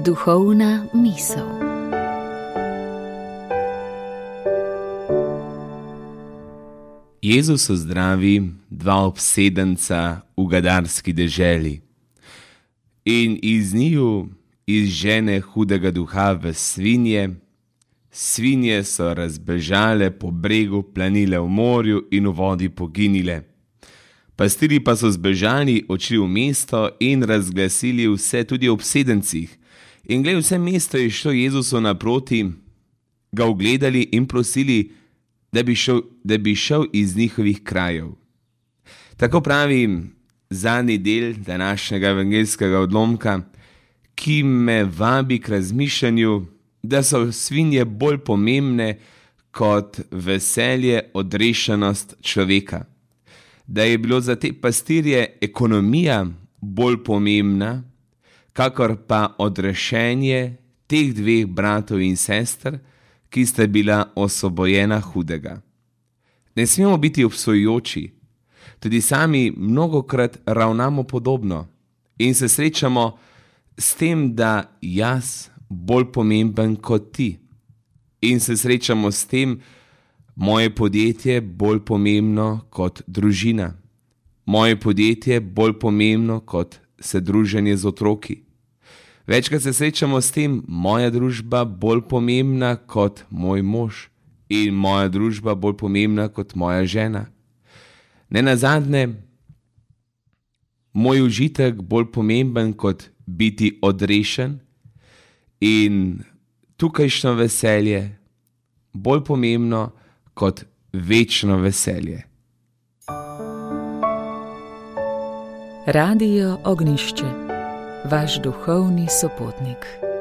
Duhovna misel. Jezus zdravi dva obsedenca v gadarski deželi in iz njiju izžene hudega duha v svinje. Svinje so razbežale po bregu, planile v morju in v vodi poginile. Pastirji pa so zbežali, odšli v mesto in razglasili vse tudi o obsedencih. In glej, vse mesto je šlo Jezusu naproti, ga ugledali in prosili, da bi šel iz njihovih krajev. Tako pravi zadnji del današnjega evangeljskega odlomka, ki me vabi k razmišljanju, da so svinje bolj pomembne kot veselje, odrešenost človeka. Da je bilo za te pastirje ekonomija bolj pomembna, kakor pa odrešenje teh dveh bratov in sester, ki sta bila osvobojena hudega. Ne smemo biti obsojujoči, tudi sami mnogokrat ravnamo podobno in se srečamo s tem, da jaz bolj pomemben kot ti. In se srečamo s tem, moje podjetje bolj pomembno kot družina. Moje podjetje bolj pomembno kot se druženje z otroki. Večkrat se srečamo s tem, moja družba bolj pomembna kot moj mož in moja družba bolj pomembna kot moja žena. Nenazadnje, moj užitek bolj pomemben kot biti odrešen in tukajšnjo veselje bolj pomembno kot večno veselje. Radio Ognjišče, vaš duhovni sopotnik.